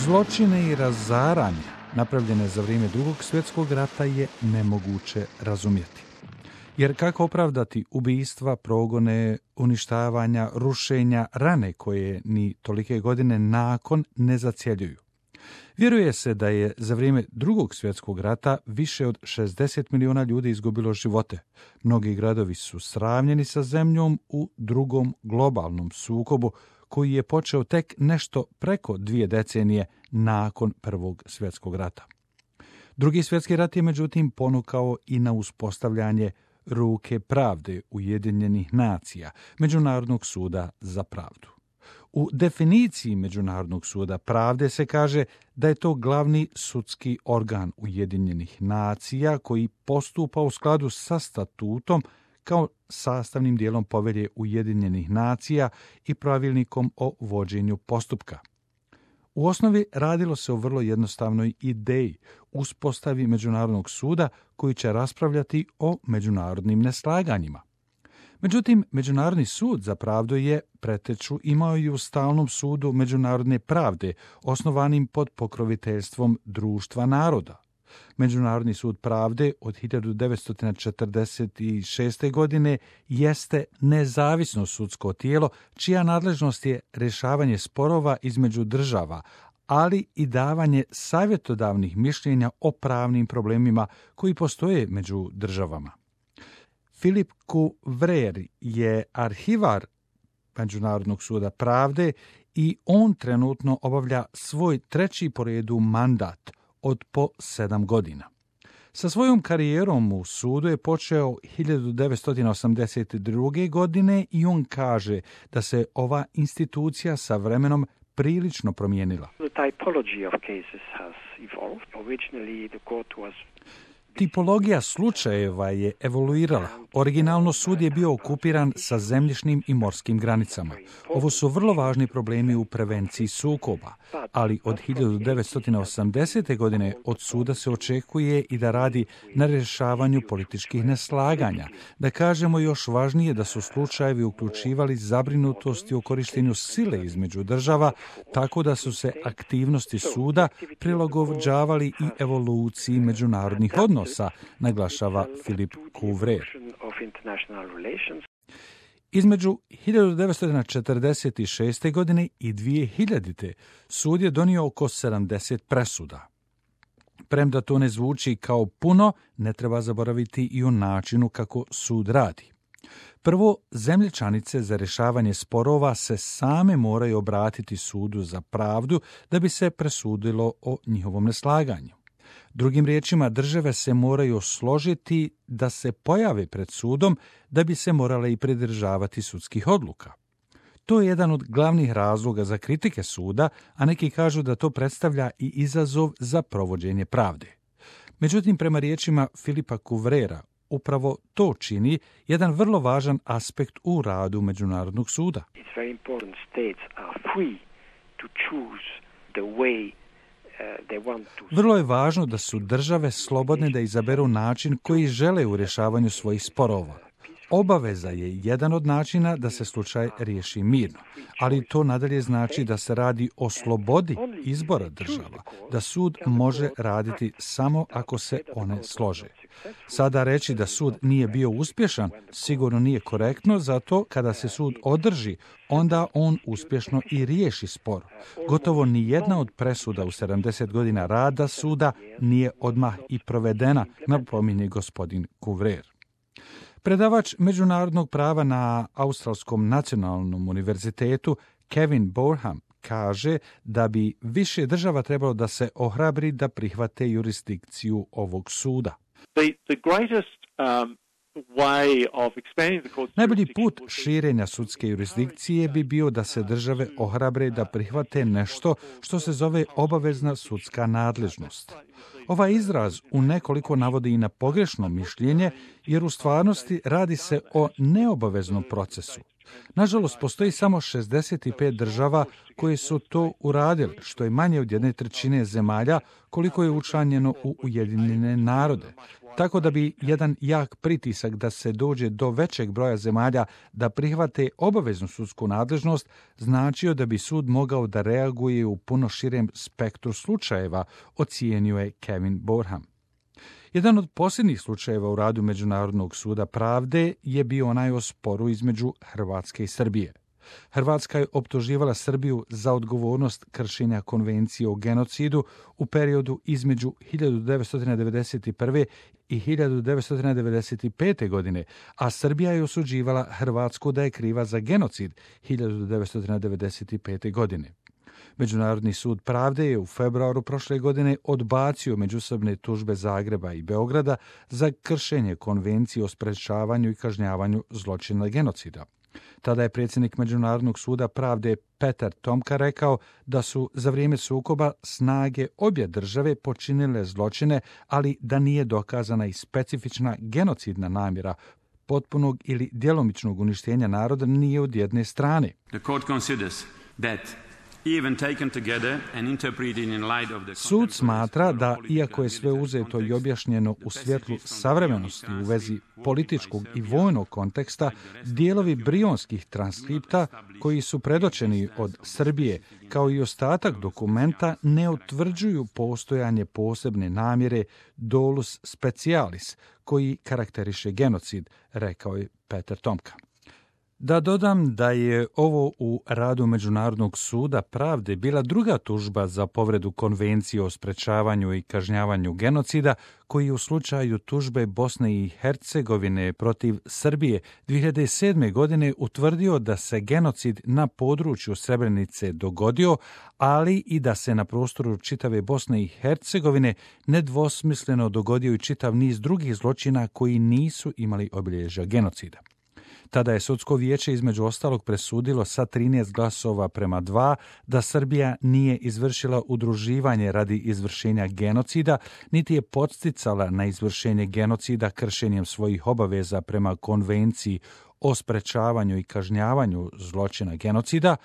Zločine i razaranje napravljene za vrijeme Drugog svjetskog rata je nemoguće razumjeti. Jer kako opravdati ubistva, progone, uništavanja, rušenja, rane koje ni tolike godine nakon ne zacjeljuju? Vjeruje se da je za vrijeme Drugog svjetskog rata više od 60 milijuna ljudi izgubilo živote. Mnogi gradovi su sravnjeni sa zemljom u drugom globalnom sukobu koji je počeo tek nešto preko 2 decenije nakon Prvog svjetskog rata. Drugi svjetski rat je međutim ponukao i na uspostavljanje ruke pravde Ujedinjenih nacija, Međunarodnog suda za pravdu. U definiciji Međunarodnog suda pravde se kaže da je to glavni sudski organ Ujedinjenih nacija koji postupa u skladu sa statutom kao sastavnim dijelom povelje Ujedinjenih nacija i pravilnikom o vođenju postupka. U osnovi radilo se o vrlo jednostavnoj ideji, uspostavi Međunarodnog suda koji će raspravljati o međunarodnim neslaganjima. Međutim, Međunarodni sud za pravdu je preteču imao i u stalnom sudu međunarodne pravde, osnovanim pod pokroviteljstvom Društva naroda. Međunarodni sud pravde od 1946. godine jeste nezavisno sudsko tijelo čija nadležnost je rješavanje sporova između država, ali i davanje savjetodavnih mišljenja o pravnim problemima koji postoje među državama. Philip Couvreur je arhivar Međunarodnog suda pravde i on trenutno obavlja svoj 3. po redu mandat od po 7 godina. Sa svojom karijerom u sudu je počeo 1982. godine i on kaže da se ova institucija sa vremenom prilično promijenila. Tipologija slučajeva je evoluirala. Originalno sud je bio okupiran sa zemljišnim i morskim granicama. Ovo su vrlo važni problemi u prevenciji sukoba, ali od 1980. godine od suda se očekuje i da radi na rješavanju političkih neslaganja. Da kažemo još važnije da su slučajevi uključivali zabrinutosti o korištenju sile između država, tako da su se aktivnosti suda prilagođavali i evoluciji međunarodnih odnosa, naglašava Philip Couvreur. Između 1946. godine i 2000. sud je donio oko 70 presuda. Premda to ne zvuči kao puno, ne treba zaboraviti i o načinu kako sud radi. Prvo, zemlje članice za rješavanje sporova se same moraju obratiti sudu za pravdu da bi se presudilo o njihovom neslaganju. Drugim riječima, države se moraju složiti da se pojave pred sudom da bi se morale i pridržavati sudskih odluka. To je jedan od glavnih razloga za kritike suda, a neki kažu da to predstavlja i izazov za provođenje pravde. Međutim, prema riječima Philipa Couvreura, upravo to čini jedan vrlo važan aspekt u radu Međunarodnog suda. Vrlo je važno da su države slobodne da izaberu način koji žele u rješavanju svojih sporova. Obaveza je jedan od načina da se slučaj riješi mirno, ali to nadalje znači da se radi o slobodi izbora država, da sud može raditi samo ako se one slože. Sada reći da sud nije bio uspješan sigurno nije korektno, zato kada se sud održi, onda on uspješno i riješi spor. Gotovo ni jedna od presuda u 70 godina rada suda nije odmah i provedena, napominje gospodin Couvreur. Predavač međunarodnog prava na Australskom nacionalnom univerzitetu Kevin Boreham kaže da bi više država trebalo da se ohrabri da prihvate jurisdikciju ovog suda. Najbolji put širenja sudske jurisdikcije bi bio da se države ohrabre da prihvate nešto što se zove obavezna sudska nadležnost. Ovaj izraz u nekoliko navodi i na pogrešno mišljenje, jer u stvarnosti radi se o neobaveznom procesu. Nažalost, postoji samo 65 država koje su to uradili, što je manje od 1/3 zemalja koliko je učlanjeno u Ujedinjene narode. Tako da bi jedan jak pritisak da se dođe do većeg broja zemalja da prihvate obaveznu sudsku nadležnost značio da bi sud mogao da reaguje u puno širem spektru slučajeva, ocijenio je Kevin Borham. Jedan od posljednjih slučajeva u radu Međunarodnog suda pravde je bio onaj o sporu između Hrvatske i Srbije. Hrvatska je optuživala Srbiju za odgovornost kršenja konvencije o genocidu u periodu između 1991. i 1995. godine, a Srbija je osuđivala Hrvatsku da je kriva za genocid 1995. godine. Međunarodni sud pravde je u februaru prošle godine odbacio međusobne tužbe Zagreba i Beograda za kršenje konvencije o sprečavanju i kažnjavanju zločina genocida. Tada je predsjednik Međunarodnog suda pravde Petar Tomka rekao da su za vrijeme sukoba snage obje države počinile zločine, ali da nije dokazana i specifična genocidna namjera potpunog ili djelomičnog uništenja naroda nije od jedne strane. Sud smatra da, iako je sve uzeto i objašnjeno u svjetlu savremenosti u vezi političkog i vojnog konteksta, dijelovi brionskih transkripta koji su predočeni od Srbije, kao i ostatak dokumenta, ne utvrđuju postojanje posebne namjere dolus specialis, koji karakteriše genocid, rekao je Petar Tomka. Da dodam da je ovo u radu Međunarodnog suda pravde bila druga tužba za povredu konvencije o sprečavanju i kažnjavanju genocida, koji u slučaju tužbe Bosne i Hercegovine protiv Srbije 2007. godine utvrdio da se genocid na području Srebrenice dogodio, ali i da se na prostoru čitave Bosne i Hercegovine nedvosmisleno dogodio i čitav niz drugih zločina koji nisu imali obilježja genocida. Tada je sudsko vijeće između ostalog presudilo sa 13 glasova prema 2 da Srbija nije izvršila udruživanje radi izvršenja genocida, niti je podsticala na izvršenje genocida kršenjem svojih obaveza prema konvenciji o sprečavanju i kažnjavanju zločina genocida,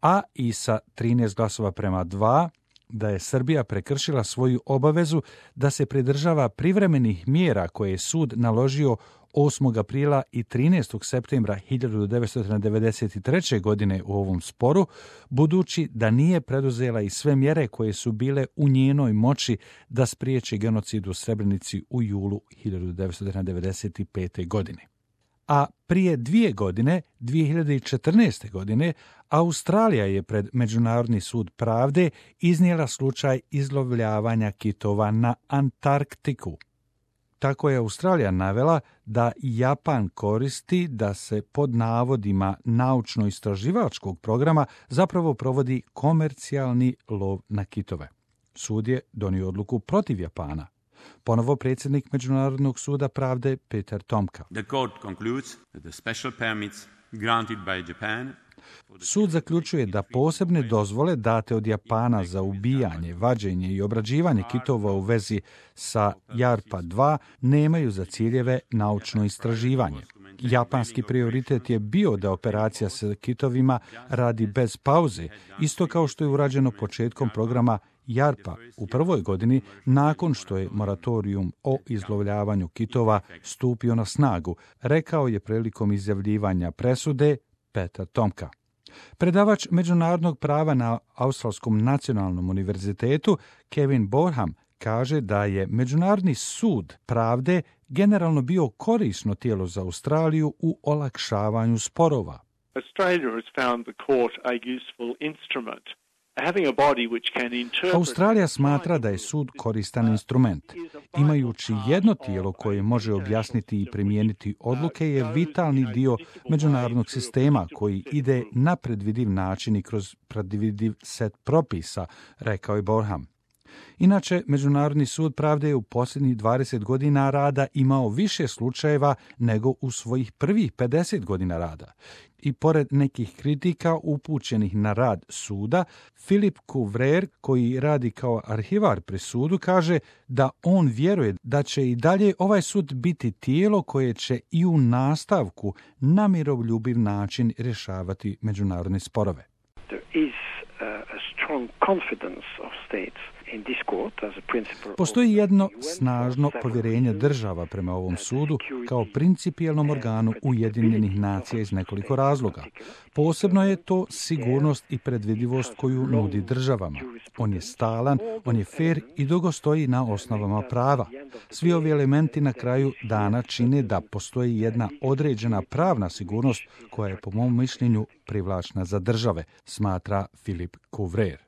a i sa 13 glasova prema 2 da je Srbija prekršila svoju obavezu da se pridržava privremenih mjera koje je sud naložio 8. aprila i 13. septembra 1993. godine u ovom sporu, budući da nije preduzela i sve mjere koje su bile u njenoj moći da spriječi genocid u Srebrenici u julu 1995. godine. A prije 2 godine, 2014. godine, Australija je pred Međunarodni sud pravde iznijela slučaj izlovljavanja kitova na Antarktiku. Tako je Australija navela da Japan koristi da se pod navodima naučno-istraživačkog programa zapravo provodi komercijalni lov na kitove. Sud je donio odluku protiv Japana. Ponovo predsjednik Međunarodnog suda pravde Petar Tomka. The court concludes that the special permits granted by Japan. Sud zaključuje da posebne dozvole date od Japana za ubijanje, vađenje i obrađivanje kitova u vezi sa JARPA 2 nemaju za ciljeve naučno istraživanje. Japanski prioritet je bio da operacija sa kitovima radi bez pauze, isto kao što je urađeno početkom programa JARPA u prvoj godini nakon što je moratorijum o izlovljavanju kitova stupio na snagu, rekao je prilikom izjavljivanja presude Petar Tomka. Predavač međunarodnog prava na Australskom nacionalnom univerzitetu Kevin Borham kaže da je Međunarodni sud pravde generalno bio korisno tijelo za Australiju u olakšavanju sporova. Australia has found the court a useful instrument. Australija smatra da je sud koristan instrument. Imajući jedno tijelo koje može objasniti i primijeniti odluke je vitalni dio međunarodnog sistema koji ide na predvidiv način i kroz predvidiv set propisa, rekao je Borham. Inače, Međunarodni sud pravde je u posljednjih 20 godina rada imao više slučajeva nego u svojih prvih 50 godina rada. I pored nekih kritika upućenih na rad suda, Philip Couvreur, koji radi kao arhivar pri sudu, kaže da on vjeruje da će i dalje ovaj sud biti tijelo koje će i u nastavku na miroljubiv način rješavati međunarodne sporove. Postoji jedno snažno povjerenje država prema ovom sudu kao principijelnom organu Ujedinjenih nacija iz nekoliko razloga. Posebno je to sigurnost i predvidivost koju nudi državama. On je stalan, on je fer i dugo stoji na osnovama prava. Svi ovi elementi na kraju dana čine da postoji jedna određena pravna sigurnost koja je po mom mišljenju privlačna za države, smatra Philip Couvreur.